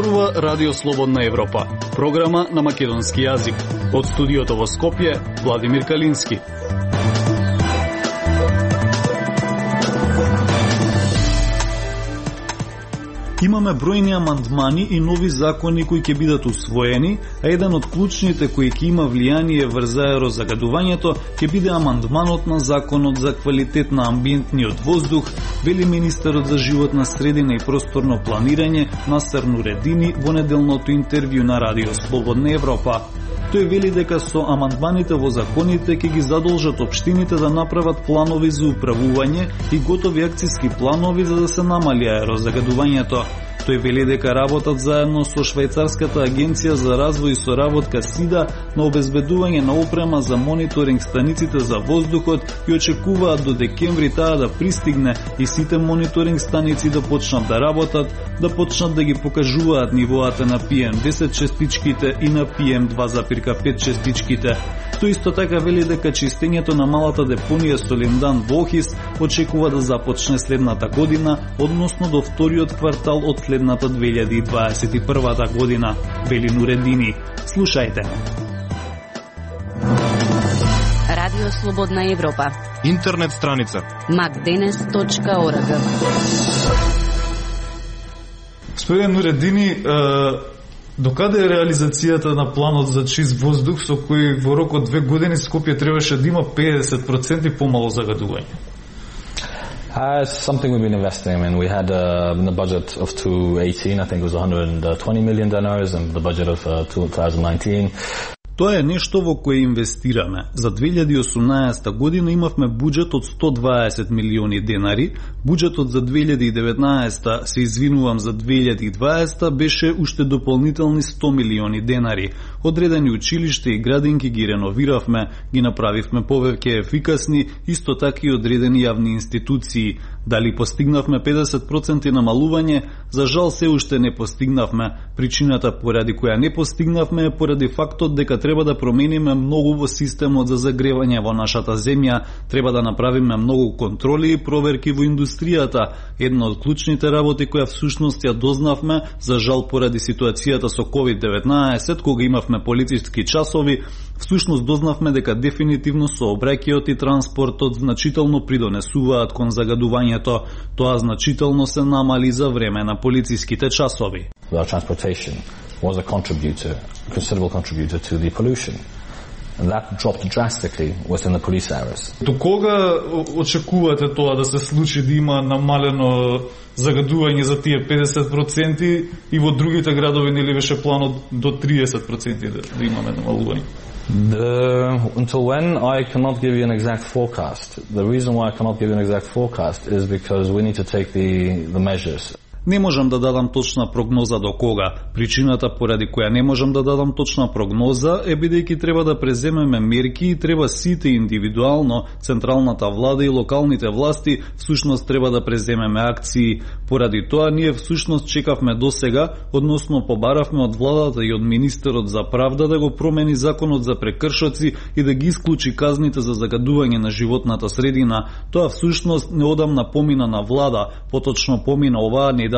Зборува Радио Слободна Европа, програма на македонски јазик. Од студиото во Скопје, Владимир Калински. Имаме бројни амандмани и нови закони кои ќе бидат усвоени, а еден од клучните кои ќе има влијание врз аерозагадувањето ќе биде амандманот на законот за квалитет на амбиентниот воздух, вели министерот за животна средина и просторно планирање Насер Нуредини во неделното интервју на Радио Слободна Европа. Тој вели дека со амандманите во законите ќе ги задолжат општините да направат планови за управување и готови акциски планови за да се намали аерозагадувањето. Тој вели дека работат заедно со швајцарската агенција за развој и соработка СИДА на обезбедување на опрема за мониторинг станиците за воздухот и очекуваат до декември таа да пристигне и сите мониторинг станици да почнат да работат, да почнат да ги покажуваат нивоата на PM10 честичките и на PM2,5 честичките. Тој исто така вели дека чистењето на малата депонија Солиндан во Охис очекува да започне следната година, односно до вториот квартал од следната 2021 година, вели Нуредини. Слушајте. Радио Слободна Европа. Интернет страница macdenes.org. Господин Нуредини, докаде е реализацијата на планот за чист воздух со кој во рок од 2 години Скопје требаше да има 50% помало загадување? It's something we've been investing in. We had in the budget of 2018, I think it was $120 million, and the budget of 2019. Тоа е нешто во кое инвестираме. За 2018 година имавме буџет од 120 милиони денари, буџетот за 2019, се извинувам, за 2020 беше уште дополнителни 100 милиони денари. Одредени училишта и градинки ги реновиравме, ги направивме повеќе ефикасни, исто така и одредени јавни институции. Дали постигнавме 50% намалување? За жал се уште не постигнавме. Причината поради која не постигнавме е поради фактот дека треба да промениме многу во системот за загревање во нашата земја, треба да направиме многу контроли и проверки во индустријата. Една од клучните работи која всушност ја дознавме, за жал поради ситуацијата со COVID-19, кога имавме полициски часови, всушност дознавме дека дефинитивно сообраќајот и транспортот значително придонесуваат кон загадувањето. Тоа значително се намали за време на полициските часови. Transportation was a considerable contributor to the pollution. And that dropped drastically within the police hours. До кога очекувате тоа да се случи, да има намалено загадување за тие 50% и во другите градови нели беше планот до 30% да имаме намалување? Until when, I cannot give you an exact forecast. The reason why I cannot give you an exact forecast is because we need to take the measures. Не можам да дадам точна прогноза до кога. Причината поради која не можам да дадам точна прогноза е бидејќи треба да преземеме мерки и треба сите индивидуално, централната влада и локалните власти всушност треба да преземеме акции. Поради тоа ние всушност чекавме досега, односно побаравме од владата и од министерот за правда да го промени законот за прекршоци и да ги исклучи казните за загадување на животната средина. Тоа всушност неодамна помина на влада, поточно помина оваа недела,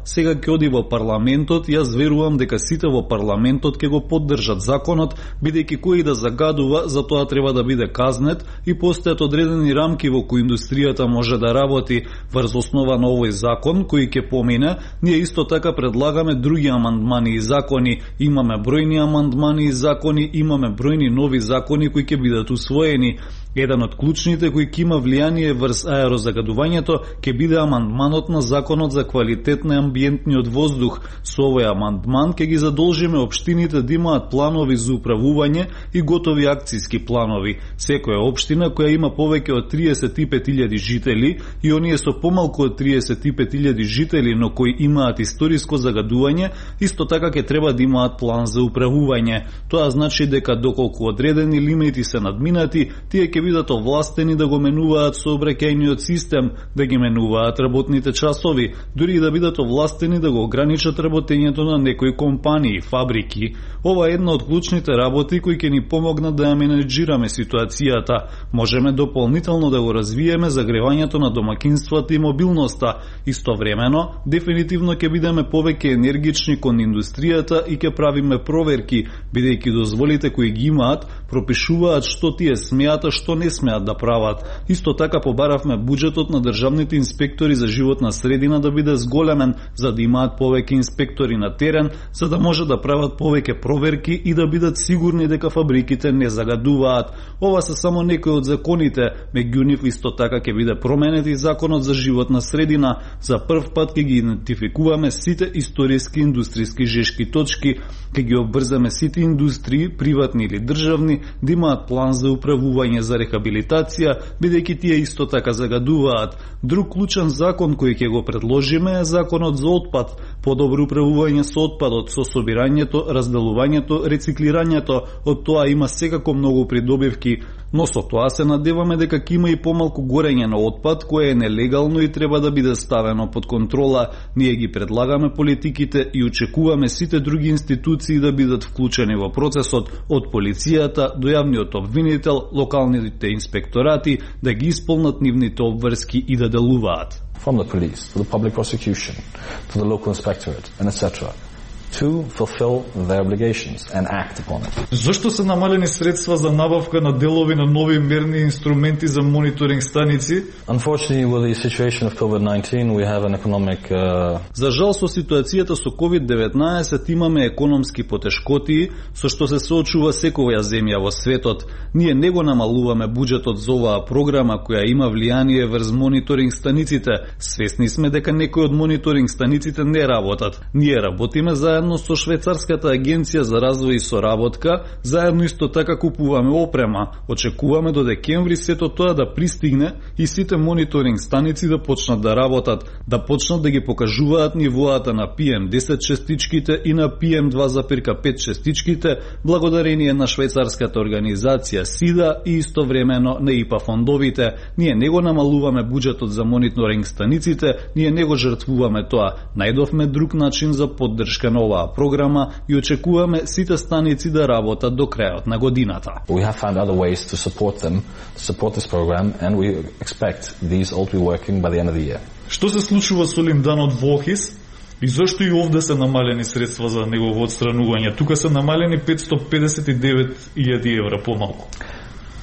сега ќе оди во парламентот. Јас верувам дека сите во парламентот ќе го поддржат законот, бидејќи кој да загадува, за тоа треба да биде казнет и постојат одредени рамки во кои индустријата може да работи. Врз основа на овој закон кој ќе помине, ние исто така предлагаме други амандмани и закони. Имаме бројни амандмани и закони, имаме бројни нови закони кои ќе бидат усвоени. Еден од клучните кои ќе има влијание врз аерозагадувањето ќе биде амандманот на законот за квалитет на амбиентниот воздух. Со овој амандман ќе ги задолжиме општините да имаат планови за управување и готови акциски планови. Секоја општина која има повеќе од 35.000 жители и оние со помалку од 35.000 жители, но кои имаат историско загадување, исто така ќе треба да имаат план за управување. Тоа значи дека доколку одредени лимити се надминати, тие ќе бидат овластени да го менуваат сообраќајниот систем, да ги менуваат работните часови, дури и да бидат овластени да го ограничат работењето на некои компании, фабрики. Ова е една од клучните работи кои ќе ни помогнат да ја менеджираме ситуацијата. Можеме дополнително да го развиеме загревањето на домакинствата и мобилноста. Истовремено, дефинитивно ќе бидеме повеќе енергични кон индустријата и ќе правиме проверки, бидејќи дозволите кои ги имаат пропишуваат што тие смеат, а што не смеат да прават. Исто така побаравме буџетот на државните инспектори за животна средина да биде зголемен, за да имаат повеќе инспектори на терен, за да може да прават повеќе проверки и да бидат сигурни дека фабриките не загадуваат. Ова се само некои од законите, меѓу нив исто така ќе биде променет и законот за животна средина. За прв пат ќе ги идентификуваме сите историски индустријски жешки точки, ќе ги обрзаме сите индустрии, приватни или државни, да имаат план за управување за рехабилитација, бидејќи тие исто така загадуваат. Друг клучен закон кој ќе го предложиме е законот за отпад, подобро управување со отпадот, со собирањето, разделувањето, рециклирањето. Од тоа има секако многу придобивки, но со тоа се надеваме дека ќе има и помалку горење на отпад, кое е нелегално и треба да биде ставено под контрола. Ние ги предлагаме политиките и очекуваме сите други институции да бидат вклучени во процесот, од полицијата до јавниот обвинител, локалните инспекторати, да ги исполнат нивните обврски и да делуваат. From the police, to the public prosecution, to the local inspectorate, and etc., to fulfill their obligations and act upon it. Зошто се намалени средства за набавка на делови на нови мерни инструменти за мониторинг станици? Unfortunately, with the situation of COVID-19, we have an economic За жал со ситуацијата со COVID-19 имаме економски потешкоти со што се соочува секоја земја во светот. Ние не го намалуваме буџетот за оваа програма која има влијание врз мониторинг станиците. Свесни сме дека некои од мониторинг станиците не работат. Ние работиме заедно со Швајцарската агенција за развој и соработка, заедно исто така купуваме опрема. Очекуваме до декември сето тоа да пристигне и сите мониторинг станици да почнат да работат, да почнат да ги покажуваат нивоата на PM10 честичките и на PM2,5 честичките, благодарение на швајцарската организација СИДА и истовремено на ИПА фондовите. Ние не го намалуваме буџетот за мониторинг станиците, ние не го жртвуваме тоа. Најдовме друг начин за поддршка на оваа програма и очекуваме сите станици да работат до крајот на годината. We have found other ways to support them, to support this program, and we expect these all to be working by the end of the year. Што се случува со лимданот во Охис и зошто и овде се намалени средства за негово отстранување? Тука се намалени 559.000 евра помалку.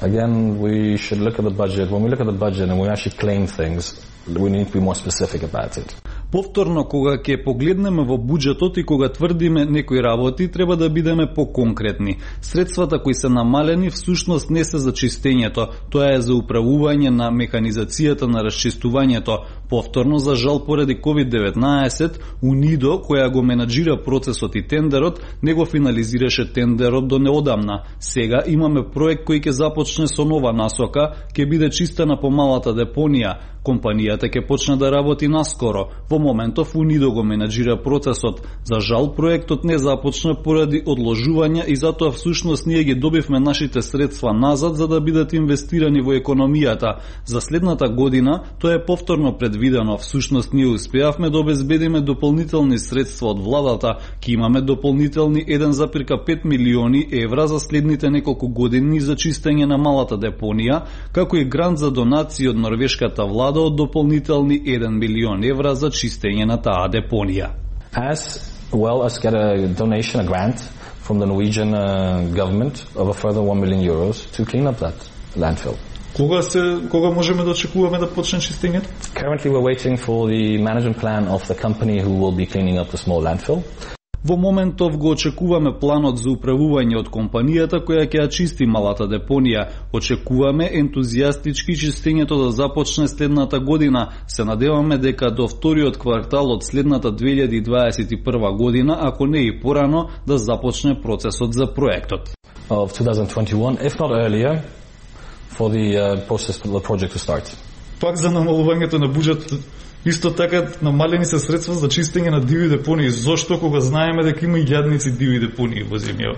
Again, we should look at the budget. When we look at the budget and we actually claim things, we need to be more specific about it. Повторно, кога ќе погледнеме во буџетот и кога тврдиме некои работи, треба да бидеме поконкретни. Средствата кои се намалени всушност не се за чистењето, тоа е за управување на механизацијата на расчистувањето. Повторно, за жал, поради COVID-19, УНИДО, која го менаџира процесот и тендерот, не го финализираше тендерот до неодамна. Сега имаме проект кој ќе започне со нова насока, ќе биде чистена помалата депонија. Компанијата ќе почне да работи наскоро. Во моментов УНИДО го менаџира процесот. За жал, проектот не започна поради одложување и затоа всушност ние ги добивме нашите средства назад за да бидат инвестирани во економијата. За следната година тоа е повторно предвидено. Всушност ние успеавме да обезбедиме дополнителни средства од владата. Ке имаме дополнителни 1,5 милиони евра за следните неколку години за чистење на малата депонија, како и грант за донации од норвешката влада од дополнителни 1 милион евра за чистење на таа депонија. As well as get a donation, a grant from the Norwegian government of a further 1 million euros to clean up that landfill. Кога можеме да очекуваме да почне чистењето? Currently we're waiting for the management plan of the company who will be cleaning up the small landfill. Во моментов го очекуваме планот за управување од компанијата која ќе ја чисти малата депонија. Очекуваме ентузијастички чистењето да започне следната година. Се надеваме дека до вториот квартал од следната 2021 година, ако не и порано, да започне процесот за проектот. Of 2021, if not earlier, for the process for the project to start. Пак за намалувањето на буџет, исто така намалени се средства за чистење на диви депонии. Зошто кога знаеме дека има и јадници диви депонии во земја?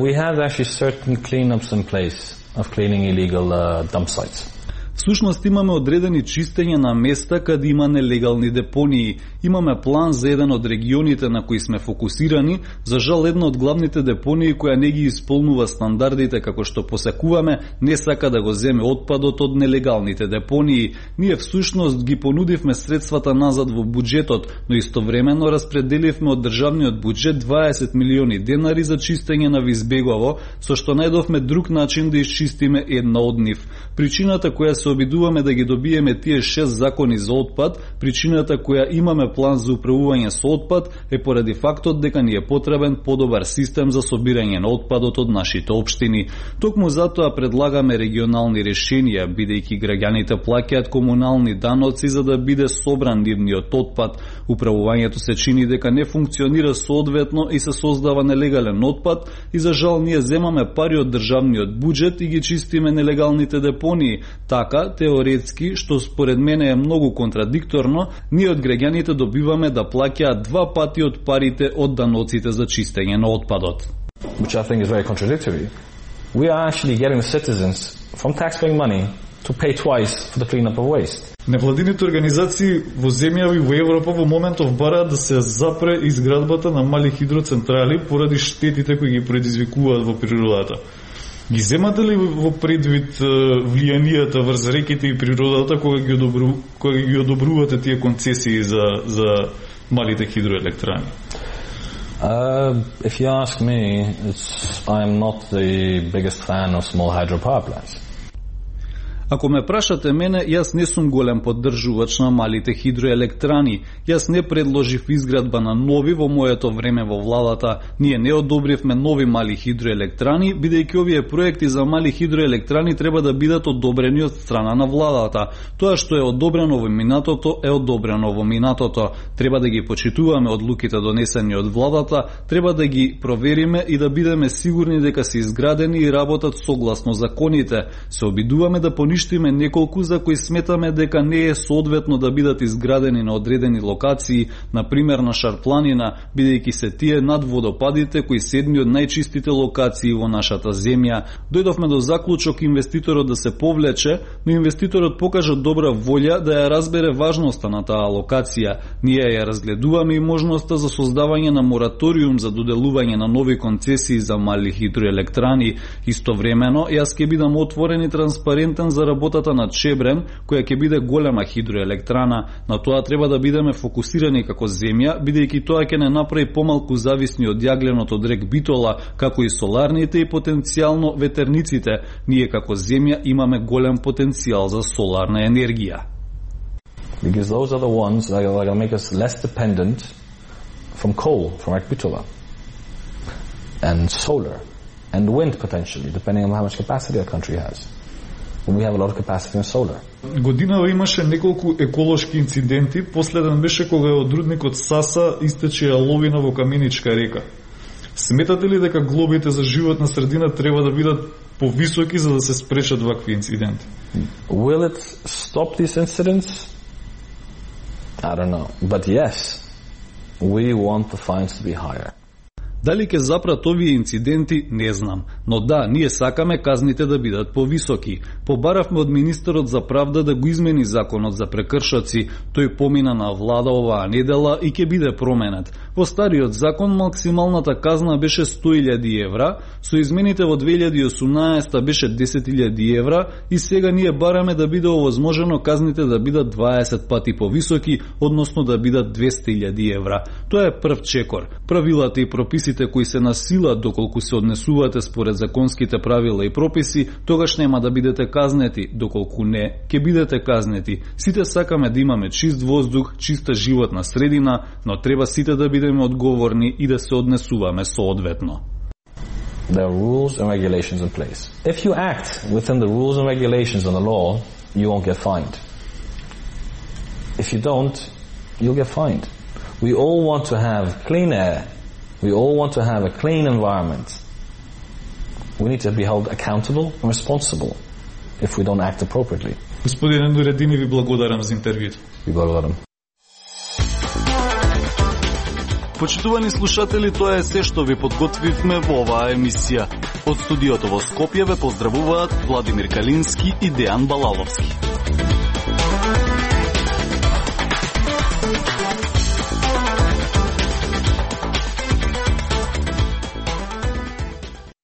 We have actually certain cleanups in place. of cleaning illegal dump sites. Всушност имаме одредени чистење на места каде има нелегални депонии. Имаме план за еден од регионите на кои сме фокусирани. За жал, една од главните депонии која не ги исполнува стандардите како што посекуваме, не сака да го земе отпадот од нелегалните депонии. Ние всушност ги понудивме средствата назад во буџетот, но истовремено распределивме од државниот буџет 20 милиони денари за чистење на Визбегово, со што најдовме друг начин да исчистиме една од нив. Причината која се обидуваме да ги добиеме тие 6 закони за отпад, причината која имаме план за управување со отпад е поради фактот дека ни е потребен подобар систем за собирање на отпадот од нашите општини. Токму затоа предлагаме регионални решенија, бидејќи граѓаните плаќаат комунални даноци за да биде собран нивниот отпад. Управувањето се чини дека не функционира соодветно и се создава нелегален отпад и за жал ние земаме пари од државниот буџет и ги чистиме нелегалните депонии. Така, теоретски, што според мене е многу контрадикторно, ние од граѓаните добиваме да плаќаат 2 пати од парите од даноците за чистење на отпадот. Which I think is very contradictory. We are actually getting the citizens from taxpaying money to pay twice for the cleanup of waste. Невладините организации во земјави во Европа во моментов бараат да се запре изградбата на мали хидроцентрали поради штетите кои ги предизвикуваат во природата. Ги земате ли во предвид влијанијата врз реките и природата кога ги одобрувате тие концесии за малите хидроелектрани? If you ask me, I'm not the biggest fan of small hydropower plants. Ако ме прашате мене, јас не сум голем поддржувач на малите хидроелектрани. Јас не предложив изградба на нови во моето време во владата. Ние не одобривме нови мали хидроелектрани, бидејќи овие проекти за мали хидроелектрани треба да бидат одобрени од страна на владата. Тоа што е одобрено во минатото е одобрено во минатото. Треба да ги почитуваме одлуките донесени од владата, треба да ги провериме и да бидеме сигурни дека се изградени и работат согласно законите. Се обидуваме да поништиме неколку за кои сметаме дека не е соодветно да бидат изградени на одредени локации, например на Шарпланина, бидејќи се тие над водопадите кои се едни од најчистите локации во нашата земја. Дојдовме до заклучок инвеститорот да се повлече, но инвеститорот покажа добра волја да ја разбере важноста на таа локација. Ние ја разгледуваме и можноста за создавање на мораториум за доделување на нови концесии за мали хидроелектрани. Истовремено, јас ќе бидам отворен и транспарентен за работата на Чебрен, која ќе биде голема хидроелектрана. На тоа треба да бидеме фокусирани како земја, бидејќи тоа ќе не направи помалку зависни од јагленот од рек Битола, како и соларните и потенцијално ветерниците. Ние како земја имаме голем потенцијал за соларна енергија. Because those are the ones that are going to make us less dependent from coal, from rek Bitola, and solar, and wind potentially, depending on how much capacity a country has. We have a lot of capacity in solar. Годинава имаше неколку еколошки инциденти, последен беше кога од рудникот Саса истече јаловина во Каменичка река. Сметате ли дека глобите за животна средина треба да бидат повисоки за да се спречат вакви инциденти? Will it stop these incidents? I don't know. But yes, we want the fines to be higher. Дали ќе запрат овие инциденти, не знам. Но да, ние сакаме казните да бидат повисоки. Побаравме од министерот за правда да го измени законот за прекршоци. Тој помина на влада оваа недела и ќе биде променет. Во стариот закон максималната казна беше 100.000 евра, со измените во 2018 беше 10.000 евра и сега ние бараме да биде овозможено казните да бидат 20 пати повисоки, односно да бидат 200.000 евра. Тоа е прв чекор. Правилата и прописите кои се на сила доколку се однесувате според законските правила и прописи, тогаш нема да бидете казнети, доколку не, ќе бидете казнети. Сите сакаме да имаме чист воздух, чиста животна средина, но треба сите да бидеме одговорни и да се однесуваме соодветно. There are rules and regulations in place. If you act within the rules and regulations and the law, you won't get fined. If you don't, you'll get fined. We all want to have clean air. We all want to have a clean environment. We need to be held accountable and responsible if we don't act appropriately. Господин Ендуредини, ви благодарам за интервјуто. Ви благодарам. Почитувани слушатели, тоа е се што ви подготвивме во оваа емисија. Од студиото во Скопје ве поздравуваат Владимир Калински и Дејан Балаловски.